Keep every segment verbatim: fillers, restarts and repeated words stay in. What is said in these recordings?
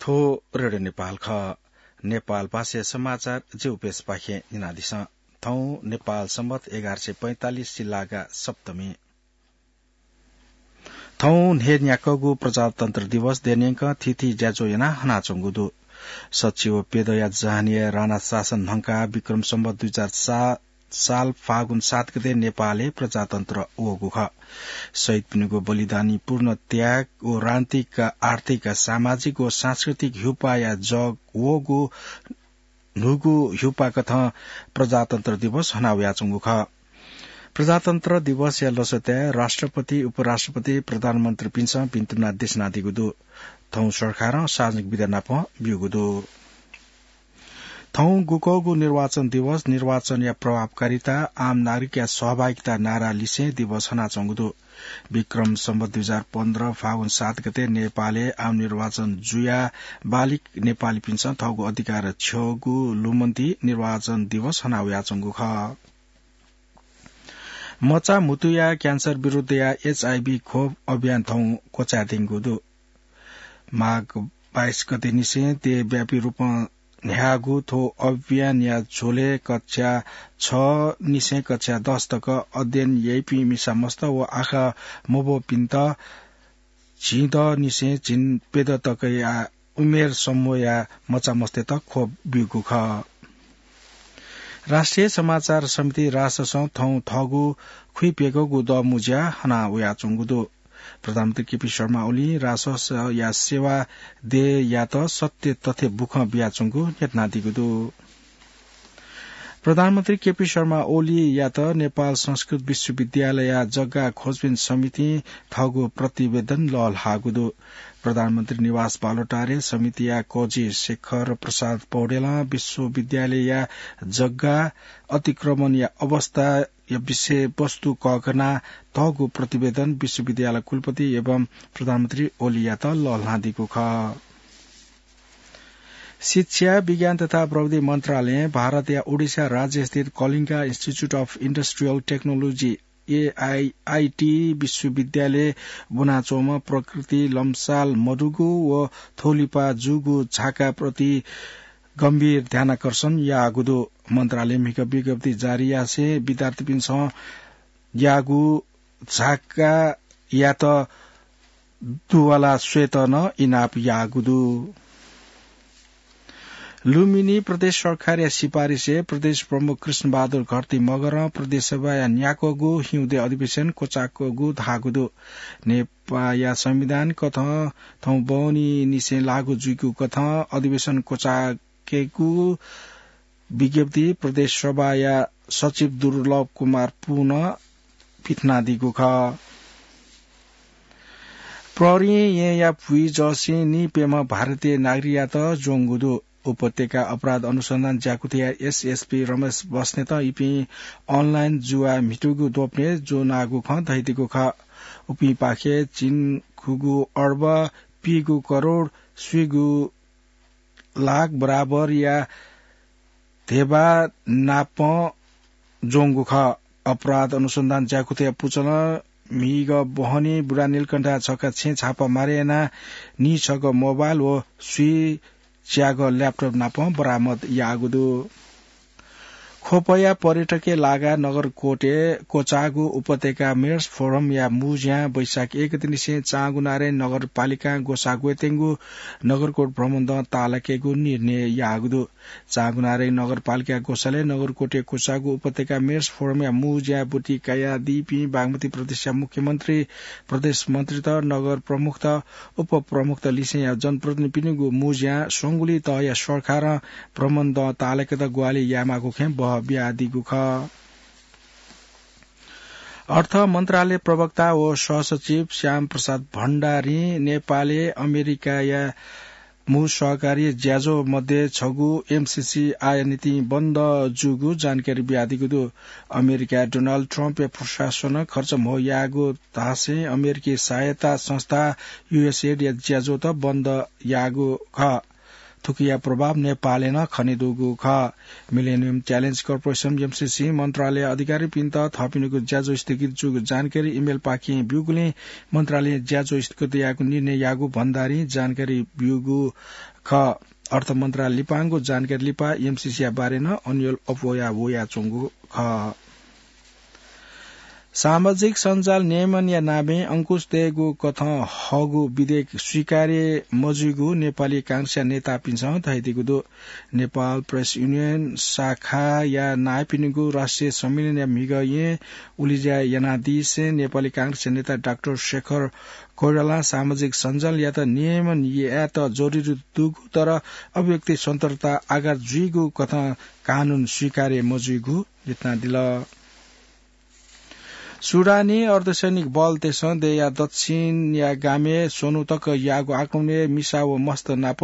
थ्व रेडियो नेपाल खः। नेपाल भाषाया समाचार जिगु पेजपाखें न्यनादिसँ। थौं नेपाल सम्बत एघार सय पैंतालिस सिल्लागा सप्तमी। थौं न्हय्‌न्ह्याक्वःगु प्रजातन्त्र दिवस देय्‌न्यंकं थीथी ज्याझ्वः यानाः हनाच्वंगु दु। सच्छि व प्यदँया जहानया राणा शासन न्हंकाः विक्रम सम्बत दुई हजार सात साल फागुन सात गते नेपालय् प्रजातन्त्र वःगु खः। शहीदपिनिगु बलिदानीपूर्ण त्याग व राजनीतिक, आर्थिक, सामाजिक व सांस्कृतिक ह्युपाया जग वःगु न्हूगु ह्युपाकथं प्रजातन्त्र दिवस हनावयाच्वंगु खः। प्रजातन्त्र दिवसया लसताय् राष्ट्रपति, उपराष्ट्रपति, प्रधानमन्त्रीपिन्सं भिन्तुना देछानादीगु दु। थौं सरकारं सार्वजनिक बिदा नाप ब्यूगु दु। थौं गुकःगु निर्वाचन दिवस निर्वाचनया प्रभावकारिता, आम नागरिकया सहभागिता नारा लिसें दिवस हनाच्वंगु दु। विक्रम सम्बत दुई हजार पन्ध्र फागुन सात गते नेपालय् आम निर्वाचन जुयाः बालिक नेपालीपिन्सं थःगु अधिकार छ्यःगु लुमन्ति निर्वाचन दिवस हनावयाच्वंगु खः। मचा म्हुतुया क्यान्सर विरुद्धया एचआईभी खोप अभियान थौं क्वचायेत्यंगु दु। माघ बाइस गते निसें देशव्यापी रूपं न्ह्याःगु थ्व अभियानया झ्वलय् कक्षा छ निसें कक्षा दस तक अध्ययन याइपिं मिसा मस्त व आखः मब्वःपिन्त झिंदनिसें झिंप्यदँ तकया उमेर समूहया मचामस्तय्त खोप ब्यूगु खः। राष्ट्रिय समाचार समिति राससं थौं थःगु खुइप्यघौगु दःमु ज्या हना वयाच्वंगु दु। प्रधानमन्त्री केपी शर्मा ओलीं राससया सेवा देय्‌यात सत्य तथ्य बुखँ बियाच्वंगु न्ह्यथनादीगु दु। प्रधानमन्त्री केपी शर्मा ओलीयात नेपाल संस्कृत विश्वविद्यालयया जग्गा खोजबिन समितिं थःगु प्रतिवेदन लःल्हाःगु दु। प्रधानमन्त्री निवास बालुवाटारय् समितिया कजि शेखर प्रसाद पौडेलं विश्वविद्यालयया जग्गा अतिक्रमणया अवस्थाया विषयवस्तु कःघानाः थःगु प्रतिवेदन विश्वविद्यालय कुलपति एवं प्रधानमन्त्री ओलीयात लःल्हानादीगु खः। शिक्षा, विज्ञान तथा प्रविधि मन्त्रालयं भारतया ओडिशा राज्यस्थित कलिङ्गा Institute of Industrial Technology, एआइआइटी विश्वविद्यालयय् ब्वनाच्वंम्ह प्रकृति लम्साल मदुगु व थ्वलिपा जूगु झाकाप्रति गम्भीर ध्यानाकर्षण याःगु दु। मन्त्रालयं म्हिगः विज्ञप्ति जारी यासें विद्यार्थीपिन्सं याःगु झाकायात दुवाला स्वयेत नं इनाप याःगु दु। लुम्बिनी प्रदेश सरकारया सिफारिसय् प्रदेश प्रमुख कृष्णबहादुर घरती मगरं प्रदेश सभाया न्याक्वःगु हिउँदे अधिवेशन क्वचाक्वःगु धाःगु दु। नेपाःया संविधान कथं थौं बहनीनिसें लागू जुइगु कथं अधिवेशन क्वचाकेगु विज्ञप्ति प्रदेश सभाया सचिव दुर्लभ कुमार पुनं पिथनादीगु खः। प्रहरीं येँया भुइँजःसिं नीप्यम्ह भारतीय नागरिकयात ज्वंगु दु। उपत्यका अपराध अनुसन्धान ज्याकुथिया एसएसपी रमेश बस्नेतं इपिं अनलाइन जुवा म्हितुगु द्वपनय् ज्वनागु खँ धयादीगु खः। उपिंपाखें झिंखुगू अर्ब पीगू करोड स्वीगू लाख बराबरया धेबा नापं ज्वंगु खः। अपराध अनुसन्धान ज्याकुथिया पुचलं म्हिगः बहनी बुढानीलकण्ठया छखा छेँ छापा मारे यानाः नीछगः मोबाइल व स्वीच्यागः ल्यापटप नापं बरामद याःगु दु। ख्वपया पर्यटकय् लागाः नगरकोटय् क्वचाःगु उपत्यका मेयर्स फोरमया मू ज्यां वैशाख एक गतेनिसें चाँगुनारायणी नगरपालिकां ग्वसाः ग्वयेत्यंगु नगरकोट भ्रमणदँ ताःलाकेगु निर्णय याःगु दु। चाँगुनारायणी नगरपालिका ग्वसालय् नगरकोटय् क्वचाःगु उपत्यका मेयर्स फोरमया मू ज्याय् ब्वति कयादीपिं बागमती प्रदेशया मुख्यमन्त्री, प्रदेश मन्त्रीत, नगर प्रमुखत, उपप्रमुखत लिसेंया जनप्रतिनिधिपिनिगु मू ज्यां स्वंगुलिं तहया सरकारं भ्रमणदँ ताःलाकेत ग्वाहालि यायेमाःगु खँय् बह बियादीगु खः। अर्थ मन्त्रालय प्रवक्ता व सहसचिव श्याम प्रसाद भण्डारीं नेपालय् अमेरिकाया मू सहकारी ज्याझ्वः मध्ये छगू एमसीसी आयानितिं बन्द जूगु जानकारी बियादीगु दु। अमेरिकाय् डोनाल्ड ट्रम्पया प्रशासनं खर्च म्हो याःगु धासें अमेरिकी सहायता संस्था युएसएडया ज्याझ्वःत बन्द याःगु खः। थुकिया प्रभाव नेपालय् नं खनेदुगु खः। मिलेनियम च्यालेन्ज कर्पोरेसन, एमसीसी, मन्त्रालय अधिकारीपिन्त थःपिनिगु ज्याझ्वः स्थगित जूगु जानकारी इमेलपाखें ब्यूगुलिं मन्त्रालयं ज्याझ्वः स्थगित यायेगु निर्णय याःगु भण्डारीं जानकारी ब्यूगु खः। अर्थ मन्त्रालय लिपांगु जानकारी लिपा एमसीसीया बारे नं अन्यल अप्वया वयाच्वंगु खः। सामाजिक सञ्जाल नियमनया नामय् अंकुश तयेगु कथं हःगु विधेयक स्वीकार्य मजुइगु नेपाली कांग्रेसया नेतापिन्सं धयादीगु दु। नेपाल प्रेस युनियन शाखाया नायःपिनिगु राष्ट्रिय सम्मेलनया म्हिगः येँ उलिज्या यानादिसें नेपाली कांग्रेसया नेता डाक्टर शेखर कोइरालां सामाजिक सञ्जालयात नियमन यायेत जरुरी दुगु तर अभिव्यक्ति स्वतन्त्रता आघात जुइगु कथं कानून स्वीकार्य मजुइगु देतानादिल। सुडानी अर्धसैनिक बलतय्सं देय्या दक्षिणया गामय् स्वन्हु तक याःगु आक्रमणय् मिसा व मस्त नाप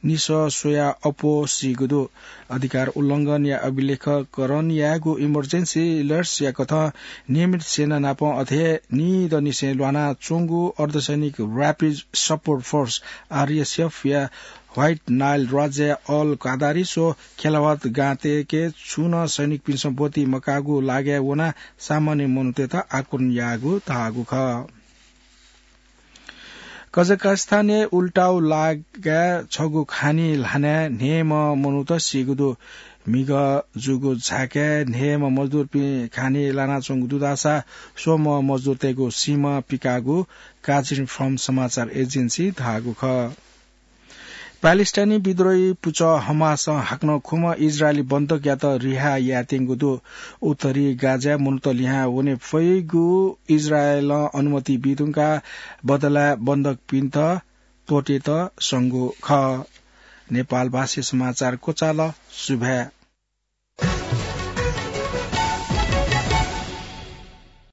निसः स्वया अप्वः सीगु दु। अधिकार उल्लंघनया अभिलेखकरण यायेगु इमर्जेन्सी एलर्ट्सया कथं नियमित सेना नाप अथे निदनिसें ल्वानाच्वंगु अर्धसैनिक र्‍यापिड सपोर्ट फोर्स, आरएसएफया व्हाइट नाइल राज्यया अल कादारिस व खेलावत गांतय्के छुं नं सैनिकपिन्सं ब्वति मकाःगु लागाय् वनाः सामान्य मनूतय्त आक्रमण याःगु धाःगु खः। कजाकस्तानय् उल्टाउ लागाय् छगू खानी ल्हानाय् न्हय्म्ह मनूत सीगु दु। म्हिगः जूगु झाकाय् न्हय्म्ह मजदुरपिं खानी लानाच्वंगु दु धाःसा स्वम्ह मजदुरतय्गु सीम्ह पिकाःगु काजिन फर्म समाचार एजेन्सीं धाःगु खः। प्यालेस्टाइनी विद्रोही पुचः हमासं हाकनं खुम्ह इजरायली बन्धकयात रिहा यायेत्यंगु दु। उत्तरी गाजाय् मनूत लिहां वने फइगु इजरायलं अनुमति बीधुंकाः बदलाय् बन्धकपिन्त त्वःतेत संगु खः। नेपालभाषी समाचार क्वचाल। सुभाय्।